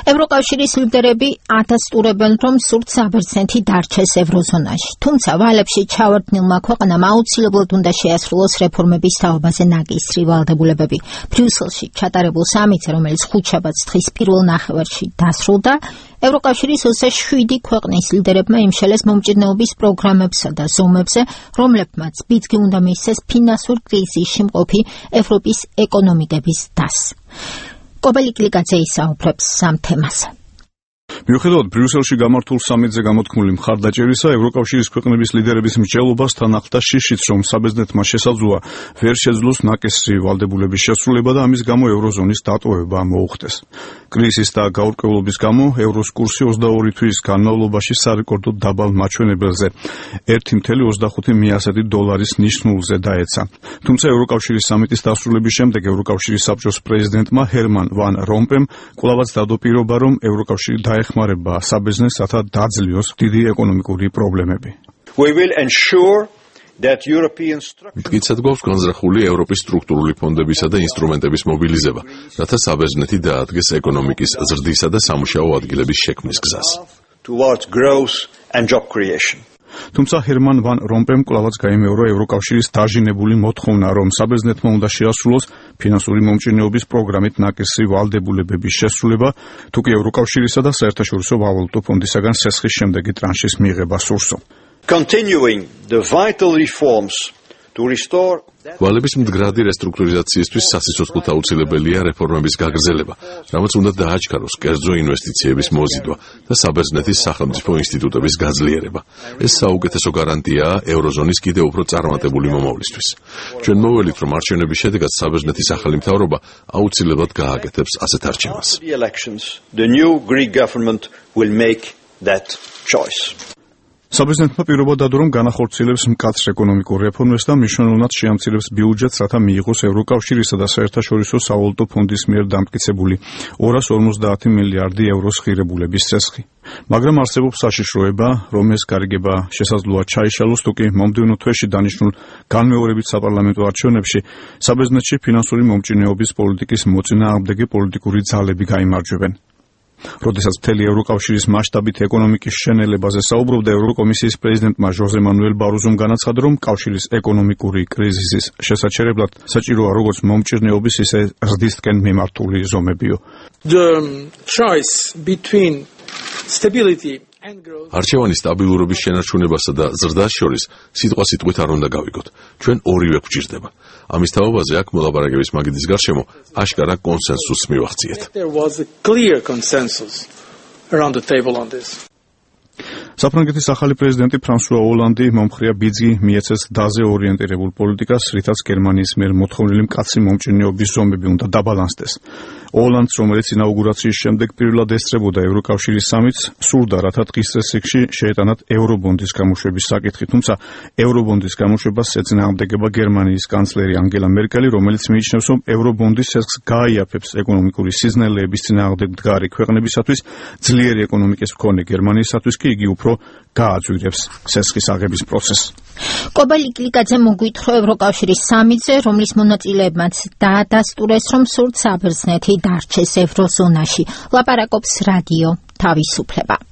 ევროკავშირის ლიდერები ადასტურებენ, რომ სურთ საბერძნეთი დარჩეს ევროზონაში. თუმცა ვალებში ჩავარდნილმა ქვეყანამ აუცილებლად უნდა შეასრულოს რეფორმების თაობაზე ნაკისრი ვალდებულებები. ბრიუსელში ჩატარებულ სამიტზე, რომელიც ხუთშაბათს თხის პირველ ნახევარში დასრულდა, ევროკავშირის 27 ქვეყნის ლიდერებმა იმშელეს მომჭირნეობის პროგრამებსა და ზომებზე, რომლებმაც ბიძგი უნდა მისცეს ფინანსურ კრიზისში მყოფი ევროპის ეკონომიკების დასს. კობელი კლიკაძე ისაუბრებს ამ თემაზე. მიუხედავად ბრიუსელში გამართულ სამიტზე გამოთქმული მხარდაჭერისა, ევროკავშირის ქვეყნების ლიდერების მსჯელობასთან ახლდა შიშიც, რომ საბერძნეთმა შესაძლოა ვერ შეძლოს ნაკისრი ვალდებულების შესრულება და ამის გამო ევროზონის დატოვება მოუხდეს. კრიზისის და გაურკვევლობის გამო ევროს კურსი 22 თვის განმავლობაში სარეკორდო დაბალ მაჩვენებელზე 1.25 დოლარის ნიშნულზე დაეცა. თუმცა ევროკავშირის სამიტის დასრულების შემდეგ ევროკავშირის საბჭოს პრეზიდენტმა ჰერმან ვან რომპემ კვლავაც დადო პირობა, რომ ევროკავშირი ეხმარება საბერძნეთს, რათა დაძლიოს დიდი ეკონომიკური პრობლემები. მტკიცედ გვაქვს განზრახული ევროპის სტრუქტურული ფონდებისა და ინსტრუმენტების მობილიზება, რათა საბერძნეთი დაადგეს ეკონომიკის ზრდისა და სამუშაო ადგილების შექმნის გზას. თუმცა ჰერმან ვან რომპემ კვლავაც გაიმეორა ევროკავშირის დაჟინებული მოთხოვნა, რომ საბერძნეთმა უნდა შეასრულოს ფინანსური მომჭირნეობის პროგრამით ნაკისრი ვალდებულებების შესრულება, თუკი ევროკავშირისა და საერთაშორისო ვალუტო ფონდისაგან სესხის შემდეგი ტრანშის მიღება სურსო. ვალების მდგრადი რესტრუქტურიზაციისთვის სასიცოცხლოდ აუცილებელია რეფორმების გაგრძელება, რამაც უნდა დააჩქაროს კერძო ინვესტიციების მოზიდვა და საბერძნეთის სახელმწიფო ინსტიტუტების გაძლიერება. ეს საუკეთესო გარანტიაა ევროზონის კიდევ უფრო წარმატებული მომავლისთვის. ჩვენ მოველით, რომ არჩევნების შედეგად საბერძნეთის ახალი მთავრობა აუცილებლად გააკეთებს ასეთ არჩევანს. საბერძნეთმა პირობა დადო, რომ განახორციელებს მკაცრ ეკონომიკურ რეფორმებს და მნიშვნელოვნად შეამცირებს ბიუჯეტს, რათა მიიღოს ევროკავშირისა და საერთაშორისო სავალუტო ფონდის მიერ დამტკიცებული 250 მილიარდი ევროს ღირებულების წესხი. მაგრამ არსებობს საშიშროება, რომ ეს გარიგება შესაძლოა ჩაიშალოს, თუკი მომდევნო თვეში დანიშნულ განმეორებით საპარლამენტო არჩევნებში საბერძნეთში ფინანსური მომჭირნეობის პოლიტიკის მოწინააღმდეგე პოლიტიკური ძალები გაიმარჯვებენ. როდესაც მთელი ევროკავშირის მასშტაბით ეკონომიკის შენელებაზე საუბრობდა, ევროკომისიის პრეზიდენტმა ჟოზე მანუელ ბაროზომ განაცხადა, რომ კავშირის ეკონომიკური კრიზისის შესაჩერებლად საჭიროა როგორც მომჭირნეობის, ისე ზრდისკენ მიმართული ზომებიო. არჩევანი სტაბილურობის შენარჩუნებასა და ზრდას შორის სიტყვასიტყვით არ უნდა გავიგოთ. ჩვენ ორივე გვჭირდება. ამის თაობაზე აქ მოლაპარაკების მაგიდის გარშემო აშკარა კონსენსუსს მივახციეთ. საფრანგეთის ახალი პრეზიდენტი ფრანსუა ოლანდი მომხრეა ბიძგი მიეცეს დაზე ორიენტირებულ პოლიტიკას, რითაც გერმანიის მიერ მოთხოვნილი მკაცრი მომჭირნეობის ზომები უნდა დაბალანსდეს. ოლანდს, რომელიც ინაუგურაციის შემდეგ პირველად ესწრებოდა ევროკავშირის სამიტს, სურდა, რათა დღის წესრიგში შეეტანათ ევრობონდის გამოშვების საკითხი, თუმცა ევრობონდის გამოშვებას ეწინააღმდეგება გერმანიის კანცლერი ანგელა მერკელი, რომელიც მიიჩნევს, რომ ევრობონდის ცესხს გააიაფებს ეკონომიკური სიზნელეების წინააღმდეგ მდგარი ქვეყნებისათვის, ძლიერი ეკონომიკის მქონე გერმანიისათვის კი იგი უფრო გააძვირებს ცესხის აღების პროცესს. კობელი კლიკაძე მოგვითხრო ევროკავშირის სამიტზე, რომლის მონაწილეებმაც დაადასტურეს, რომ სურთ საბერძნეთი დარჩეს ევროზონაში. ლაპარაკობს რადიო თავისუფლება.